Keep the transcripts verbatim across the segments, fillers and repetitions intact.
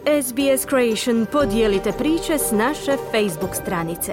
S B S Creation podijelite priče s naše Facebook stranice.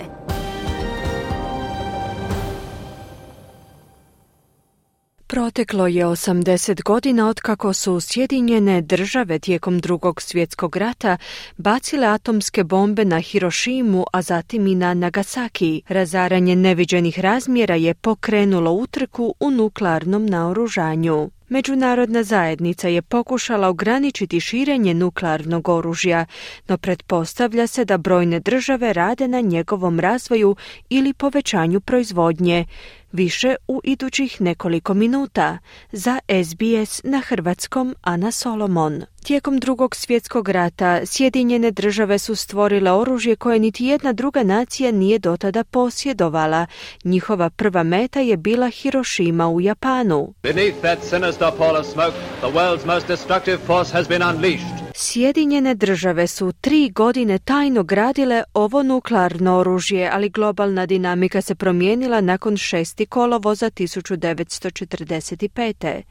Proteklo je osamdeset godina otkako su Sjedinjene države tijekom Drugog svjetskog rata bacile atomske bombe na Hirošimu, a zatim i na Nagasaki. Razaranje neviđenih razmjera je pokrenulo utrku u nuklearnom naoružanju. Međunarodna zajednica je pokušala ograničiti širenje nuklearnog oružja, no pretpostavlja se da brojne države rade na njegovom razvoju ili povećanju proizvodnje. Više u idućih nekoliko minuta. Za S B S na hrvatskom Ana Solomon. Tijekom Drugog svjetskog rata Sjedinjene države su stvorile oružje koje niti jedna druga nacija nije dotada posjedovala. Njihova prva meta je bila Hirošima u Japanu. Beneath that sinister pall of smoke, the world's most destructive force has been unleashed. Sjedinjene države su tri godine tajno gradile ovo nuklearno oružje, ali globalna dinamika se promijenila nakon šesti kolovoza tisuću devetsto četrdeset pete.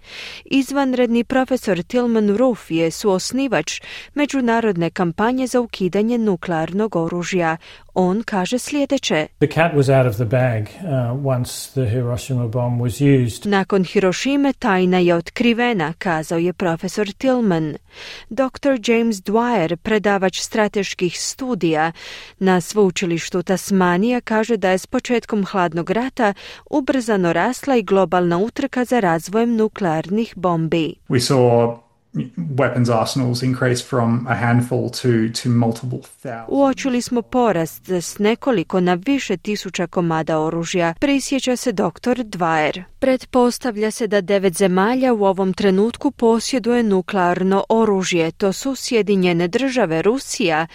Izvanredni profesor Tilman Roof je suosnivač međunarodne kampanje za ukidanje nuklearnog oružja. On kaže sljedeće. The cat was out of the bag uh, once the Hiroshima bomb was used. Nakon Hirošime tajna je otkrivena, kazao je profesor Tillman. doktor James Dwyer, predavač strateških studija na sveučilištu Tasmanija, kaže da je s početkom hladnog rata ubrzano rasla i globalna utrka za razvojem nuklearnih bombi. We saw weapons arsenals increase from a handful to, to multiple thousands. Uočili smo porast s nekoliko na više tisuća komada oružja, prisjeća se doktor Dwyer. Pretpostavlja se da devet zemalja u ovom trenutku posjeduje nuklearno oružje. To su Sjedinjene države, Rusija,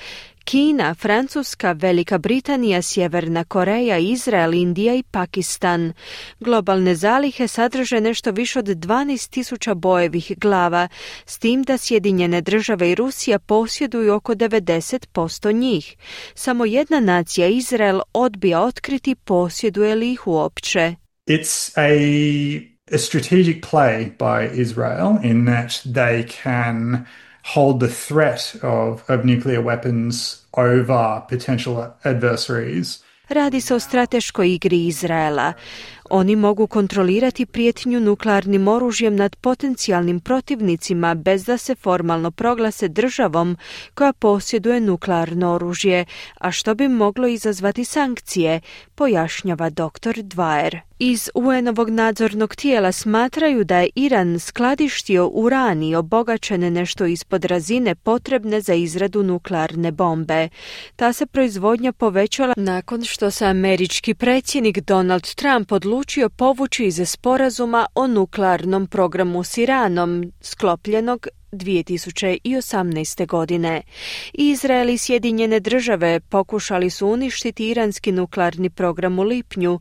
Kina, Francuska, Velika Britanija, Sjeverna Koreja, Izrael, Indija i Pakistan. Globalne zalihe sadrže nešto više od dvanaest tisuća bojevih glava, s tim da Sjedinjene države i Rusija posjeduju oko devedeset posto njih. Samo jedna nacija, Izrael, odbija otkriti posjeduje li ih uopće. It's a, a strategic play by Israel in that they can hold the threat of, of nuclear weapons over potential adversaries. Radi se o strateškoj igri Izraela. Oni mogu kontrolirati prijetnju nuklearnim oružjem nad potencijalnim protivnicima bez da se formalno proglase državom koja posjeduje nuklearno oružje, a što bi moglo izazvati sankcije, pojašnjava doktor Dwyer. Iz U N-ovog nadzornog tijela smatraju da je Iran skladištio urani obogaćene nešto ispod razine potrebne za izradu nuklearne bombe. Ta se proizvodnja povećala nakon što se američki predsjednik Donald Trump odlučio povući iz sporazuma o nuklearnom programu s Iranom, sklopljenog dvije tisuće osamnaeste. godine. Izrael i Sjedinjene države pokušali su uništiti iranski nuklearni program u lipnju,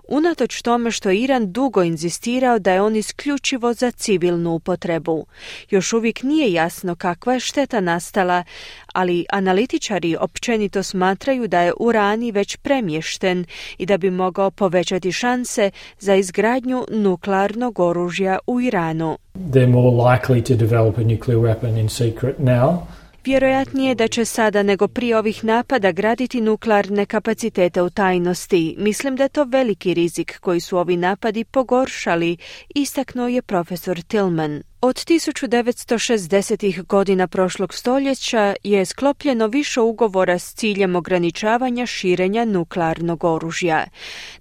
unatoč tome što Iran dugo inzistirao da je on isključivo za civilnu upotrebu. Još uvijek nije jasno kakva je šteta nastala, ali analitičari općenito smatraju da je urani već premješten i da bi mogao povećati šanse za izgradnju nuklearnog oružja u Iranu. They're more likely to develop a nuclear weapon in secret now. Vjerojatnije da će sada nego prije ovih napada graditi nuklearne kapacitete u tajnosti. Mislim da je to veliki rizik koji su ovi napadi pogoršali, istaknuo je profesor Tillman. Od tisuću devetsto šezdesetih godina prošlog stoljeća je sklopljeno više ugovora s ciljem ograničavanja širenja nuklearnog oružja.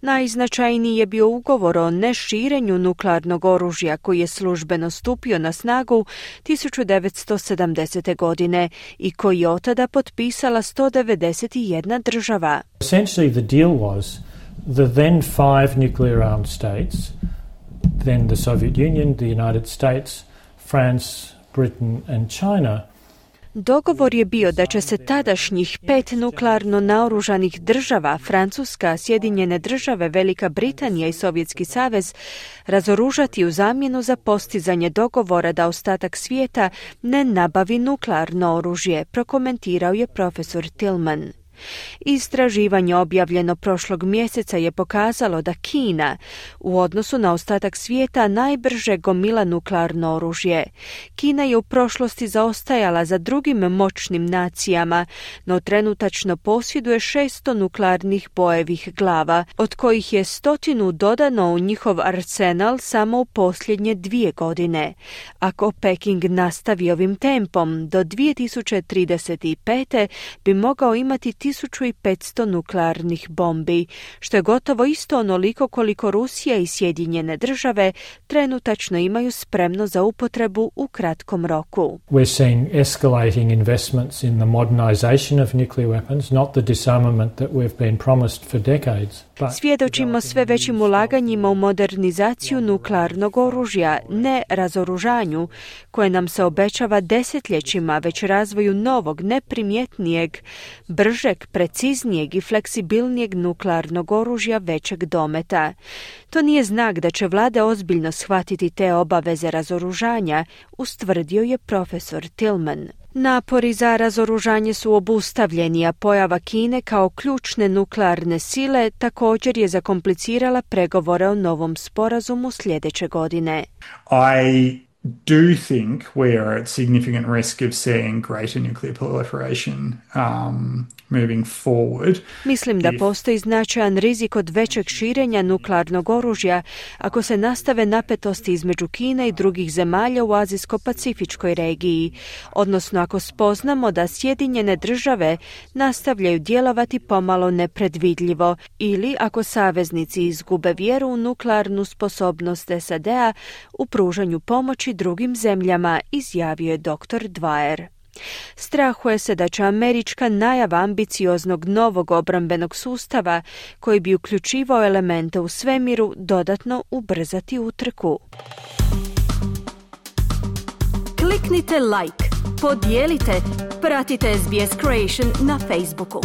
Najznačajniji je bio ugovor o neširenju nuklearnog oružja koji je službeno stupio na snagu tisuću devetsto sedamdesete. godine i koji je otada potpisala sto devedeset jedna država. Essentially the deal was the then five nuclear armed states, then the Soviet Union, the United States, France, Britain and China. Dogovor je bio da će se tadašnjih pet nuklearno naoružanih država, Francuska, Sjedinjene države, Velika Britanija i Sovjetski savez, razoružati u zamjenu za postizanje dogovora da ostatak svijeta ne nabavi nuklearno oružje, prokomentirao je profesor Tillman. Istraživanje objavljeno prošlog mjeseca je pokazalo da Kina u odnosu na ostatak svijeta najbrže gomila nuklearno oružje. Kina je u prošlosti zaostajala za drugim moćnim nacijama, no trenutačno posjeduje šesto nuklearnih bojevih glava, od kojih je stotinu dodano u njihov arsenal samo u posljednje dvije godine. Ako Peking nastavi ovim tempom, do dvije tisuće trideset pete bi mogao imati tisuću petsto nuklearnih bombi, što je gotovo isto onoliko koliko Rusija i Sjedinjene države trenutačno imaju spremno za upotrebu u kratkom roku. We're seeing escalating investments in the modernization of nuclear weapons, not the disarmament that we've been promised for decades. Svjedočimo sve većim ulaganjima u modernizaciju nuklearnog oružja, ne razoružanju, koje nam se obećava desetljećima, već razvoju novog, neprimjetnijeg, bržeg, preciznijeg i fleksibilnijeg nuklearnog oružja većeg dometa. To nije znak da će vlade ozbiljno shvatiti te obaveze razoružanja, ustvrdio je profesor Tillman. Napori za razoružanje su obustavljeni, a pojava Kine kao ključne nuklearne sile također je zakomplicirala pregovore o novom sporazumu sljedeće godine. I do think we are at significant risk of seeing greater nuclear proliferation um, moving forward. Mislim da postoji značajan rizik od većeg širenja nuklearnog oružja ako se nastave napetosti između Kine i drugih zemalja u Azijsko-Pacifičkoj regiji, odnosno ako spoznamo da Sjedinjene države nastavljaju djelovati pomalo nepredvidljivo ili ako saveznici izgube vjeru u nuklearnu sposobnost S A D-a u pružanju pomoći drugim zemljama, izjavio je doktor Dwyer. Strahuje se da će američka najava ambicioznog novog obrambenog sustava, koji bi uključivao elemente u svemiru, dodatno ubrzati utrku. Kliknite like, podijelite, pratite S B S Creation na Facebooku.